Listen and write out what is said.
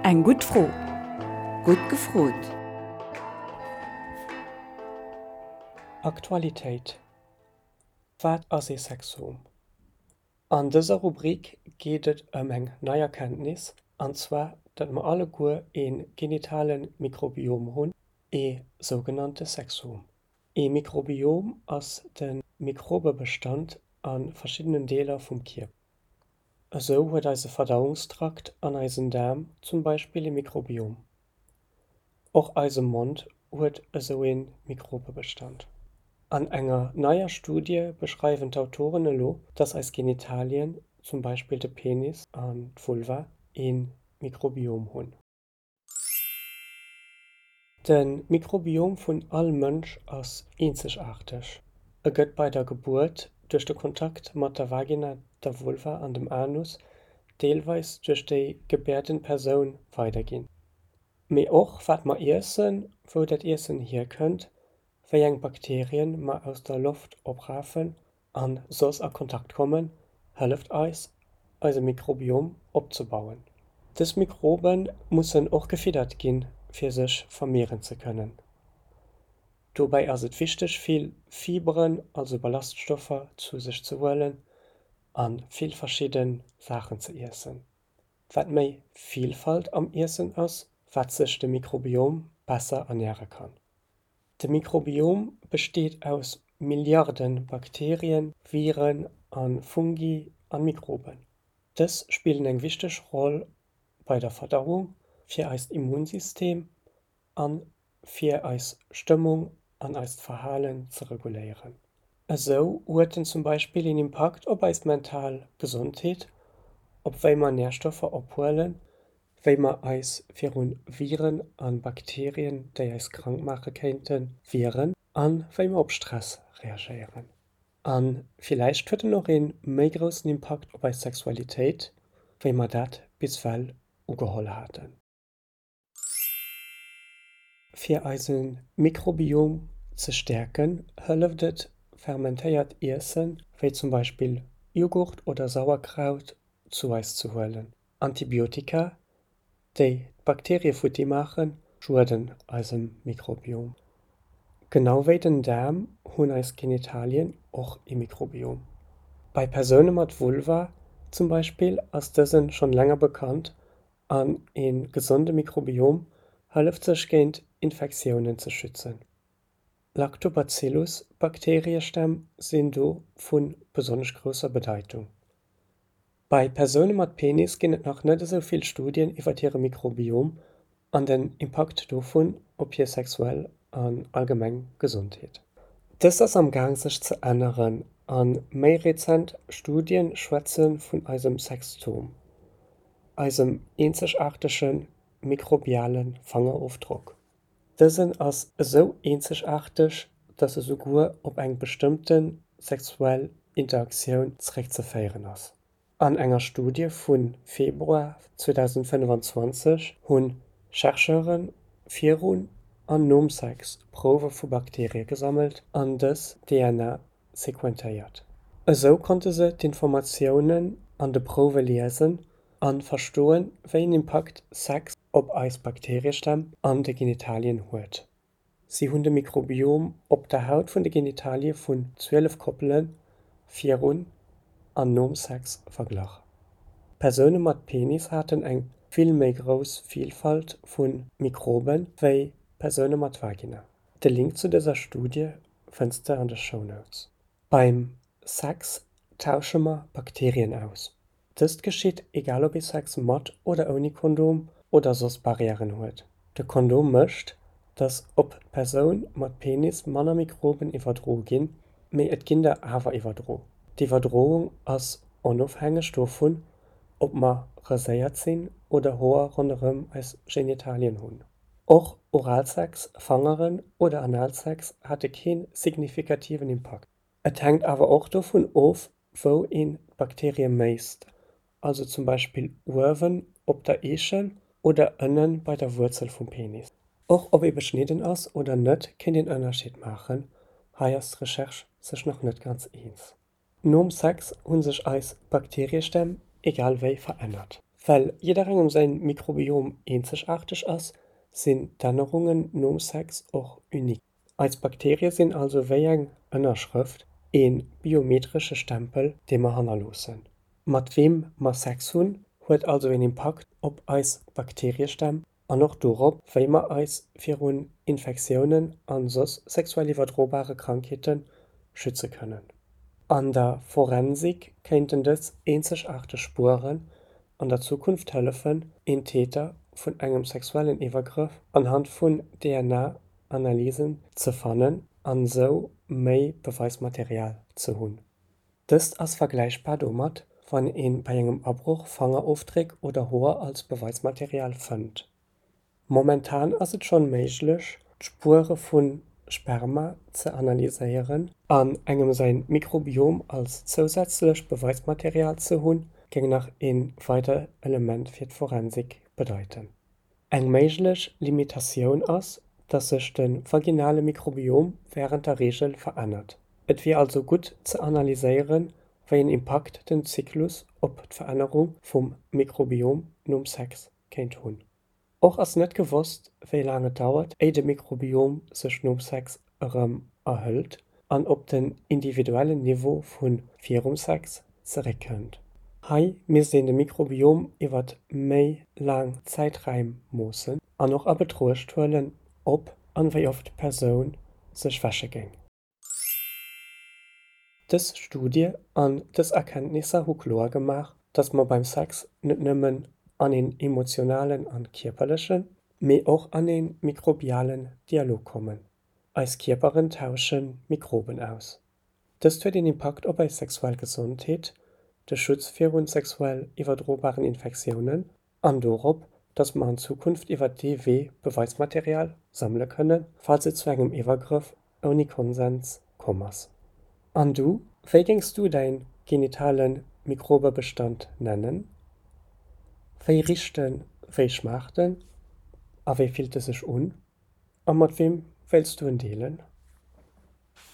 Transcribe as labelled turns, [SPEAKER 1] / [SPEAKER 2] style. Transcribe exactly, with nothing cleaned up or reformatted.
[SPEAKER 1] Eng gutt Fro.
[SPEAKER 2] Gutt gefrot!
[SPEAKER 3] Aktualitéit Wat ass ee Sexom? An dëser Rubrik geet et ëm eng nei Erkenntnis, an zwar datt mer alleguer ee genitale Mikrobiom hunn, ee sougenannte Sexom. Ee Mikrobiom ass de Mikrobebestand a verschiddenen Deeler vum Kierper. Esou huet eise Verdauungstrakt an eisen Daarm zum Beispill ee Mikrobiom. Och eise Mond huet esou ee Mikrobebestand. An enger neier Studie beschreiwen d'Autoren elo, dass eis Genitalien, zum Beispill de Penis an d'Vulva, ee Mikrobiom hunn. De Mikrobiom vun all Mënsch ass eenzegaarteg. E gëtt bei der Gebuert duerch de Kontakt mat der Vagina, der Vulva an dem Anus, deelweis duerch déi gebäerdend Persoun weiderginn. Mee och wat mer iessen, wou dat Iessen hierkënnt, wéi eng Bakterien mer aus der Loft oprafen a soss a Kontakt kommen, hëlleft eis, eise Mikrobiom opzebauen. Dës Mikrobe mussen och gefiddert ginn, fir sech vermehren ze kënnen. Dobäi ass et wichteg vill Fiberen, also Ballaststoffer, zu sech ze huelen a vill verschidde Saachen ze iessen. Wat méi Vilfalt am Iessen ass, wat sech de Mikrobiom besser ernäre kann. De Mikrobiom besteet aus Milliarde Bakterien, Viren a Fungi an Mikroben. Dës spillen eng wichteg Roll bei der Verdauung, fir eist Immunsystem a fir eis Stëmmung an eist Verhalen ze reguléieren. Esou huet en zum Beispill een Impakt op eis mental Gesondheet, op wéi mer Närstoffer ophuelen, wéi mer eis viru Viren a Bakterien, déi eis krank maache kéinten, wieren a wéi mer op Stress reagéieren. A villäicht huet en och ee méi groussen Impakt op eis Sexualitéit, wéi mer dat bis well ugeholl haten. Fir eise Mikrobiom ze stäerken, hëlleft et, fermentéiert Iessen, wéi zum Beispill Jughurt oder Sauerkraut, zu eis ze huelen. Antibiotika, déi d'Bakterie futti maachen, schueden eisem Mikrobiom. Genau wéi den Daarm hunn eis Genitalien och ee Mikrobiom. Bei Persoune mat Vulva zum Beispill ass dësen schonn länger bekannt an ee gesonde Mikrobiom hëlleft sech géint Infektiounen ze schützen. Lactobacillus-Bakteriestämm sinn do vu besonnesch grousser Bedeitung. Bei Persoune mat Penis ginn et nach net esou vill Studien iwwer hire Mikrobiom an den Impakt dovun op hir sexuell an allgemeng Gesondheet. Dëst ass am Gaang sech ze änneren a méi rezent Studie schwätze vun eisem Sextom, eisem eenzegaartege mikrobiale Fangerofdrock. Dësen ass esou eenzegaarteg, datt e souguer op eng bestëmmte sexuell Interaktioun zeréckzeféieren ass. An enger Studie vu Februar zweedausendfënnefanzwanzeg hu Chercheure virun an nom Sex Prouwe vu Bakterie gesammelt an dës D N A sequentéiert. Esou konnte se d'Informatiounen an de Prouwe liesen a verstoen, wéi en Impakt Sex op eis Bakteriestämm an de Genitalien huet. Si hunn de Mikrobiom op der Haut vun de Genitalie vun zwielef Koppele virun an nom Sex verglach. Persoune mat Penis haten eng vill méi grouss Vilfalt vu Mikroben wéi Persoune mat Vagina. De Link zu dëser Studie fënns de an de Shownotes. Beim Sex tausche mer Bakterien aus. Dëst geschitt egal ob ee Sex mat oder ouni Kondom oder soss Barrièren huet. De Kondom mécht, datt op d'Persoun mat Penis manner Mikroben iwwerdroe ginn, mee et ginn der awer iwwerdro. D'Iwwerdroung ass onofhängeg dovun, ob mer raséiert sinn oder Hoer ronderëm eis Genitalien hunn. Och Oralsex, Fangeren oder Analsex hate kee signifikativen Impakt. Et hänkt awer och dovun of, wou een d'Bakterie méisst, also zum Beispill uewen op der Eechel oder ënne bei der Wuerzel vum Penis. Och ob ee beschnidden ass oder net, kéint een Ënnerscheed maachen, hei ass d'Recherche sech nach net ganz eens. Nom Sex hu sech eis Bakteriestämm egal wéi verännert. Well jidderengem säin Mikrobiom eenzegaarteg ass, sinn d'Ännerungen nom Sex och unique. Eis Bakterie sinn also wéi eng Ënnerschrëft, ee biometresche Stempel, dee mer hannerloossen. Mat weem mer Sex hunn, huet also een Impakt op eis Bakteriestämm an och dorop, wéi mer eis virun Infektiounen a soss sexuell iwwerdrobare Krankheete schütze kënnen. An der Forensik kéinten dës eenzegaarteg Spueren an der Zukunft hëllefen, een Täter vun engem sexuellen Iwwergrëff anhand vun D N A-Analysen ze fannen an esou méi Beweismaterial ze hunn. Dëst ass vergläichbar domat, wann ee bei engem Abroch Fangerofdréck oder Hoer als Beweismaterial fënnt. Momentan ass et schonn méiglech, d'Spuere vu Sperma ze analyséieren an engem säin Mikrobiom als zousätzlech Beweismaterial ze hunn, géing nach ee weidert Element fir d'Forensik bedeiten. Eng méiglech Limitatioun ass, dass sech de vaginale Mikrobiom wärend der Reegel verännert. Et wier also gutt ze analyséieren, wéi en Impakt den Zyklus op d'Verännerung vum Mikrobiom nom Sex kéint hunn. Och ass net gewosst, wéi laang et dauert, éi de Mikrobiom sech nom Sex erëm erhëlt an op den individuellen Niveau vu virum Sex zeréckkënnt. Hei misst een de Mikrobiom iwwer méi laang Zäiträim moossen an och a Betruecht huelen, ob an wéi oft d'Persoun sech wäsche géing. Dës Studie an dës Erkenntnisser hu kloer gemaach, dass mer beim Sex net nëmmen an een emotionalen an kierperlechen, mee och an een mikrobialen Dialog kommen. Eis Kierperen tauschen Mikroben aus. Dëst huet een Impakt op eis sexuell Gesondheet, de Schutz virun sexuell iwwerdrobaren Infektiounen an dorop, dass mer an Zukunft iwwer dee Wee Beweismaterial sammele kënnen, falls et zu engem Iwwergrëff ouni Konsens komm ass. An du, wéi géings du däin genitale Mikrobebestand nennen? Wéi richt en, wéi schmaacht en a wéi fillt e sech un? A mat weem wéilts du en deelen?